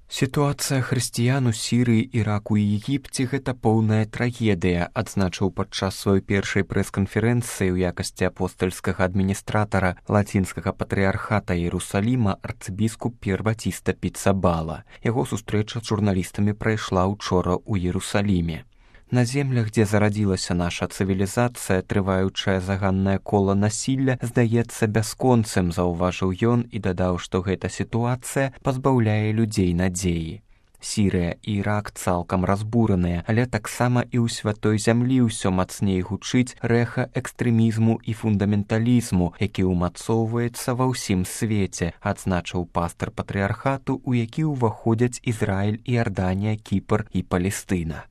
Сітуацыя хрысціян у Сірыі, Іраку і Егіпце – гэта поўная трагедыя, адзначыў падчас сваёй першай прэс-канферэнцыі ў якасці апостальскага адміністратара лацінскага патрыярхата Іерусаліма арцыбіскуп П'ер Батіста Піцабала. Яго сустрэча з журналістамі прайшла ўчора ў Іерусаліме. На землях, дзе зарадзілася наша цывілізацыя, трываючае заганнае кола насілля здаецца бясконцым, заўважыў ён і дадаў, што гэта сітуацыя пазбаўляе людзей надзеі. Сірыя і Ірак цалкам разбураныя, але таксама і ў святой зямлі ўсё мацней гучыць рэха экстрэмізму і фундаменталізму, які ўмацоўваецца ва ўсім свеце, адзначыў пастар патрыярхату, у які ўваходзяць Ізраіль, Іарданія, Кіпр і Палестына.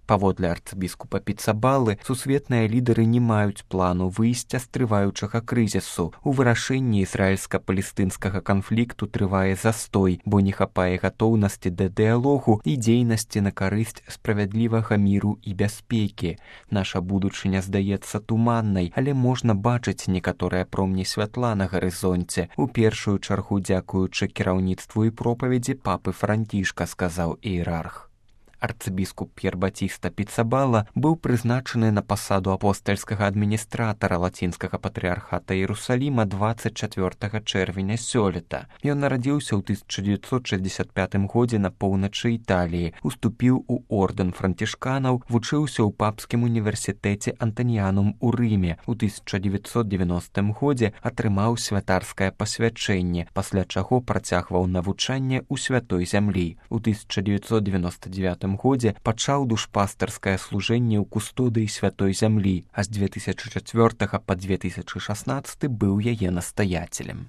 Паводле арцыбіскупа Піцабалы, сусветныя лідары не маюць плану выйсця з трываючага крызісу. У вырашэнні ізраільска-палестынскага канфлікту трывае застой, бо не хапае гатоўнасці да дыялогу і дзейнасці на карысць справядлівага міру і бяспекі. Наша будучыня здаецца туманнай, але можна бачыць некаторыя промні святла на гарызонце. У першую чаргу дзякуючы кіраўніцтву і пропаведзі папы Францішка, сказаў іерарх. Арцыбіскуп П'ер Батіста Піцабала быў прызначаны на пасаду апостальскага адміністратара лацінскага патрыярхата Іерусаліма 24 чэрвеня сёлета. Ён нарадзіўся ў 1965 годзе на поўначы Італіі, уступіў у ордэн францішканаў, вучыўся ў папскім універсітэце Антаніянум у Рыме. У 1990 годзе атрымаў святарскае пасвячэнне, пасля чаго працягваў навучанне ў святой зямлі. У 1999 годзе пачаў душпастарскае служэнне ў кустодыі святой зямлі, а з 2004 па 2016 быў яе настаяцелем.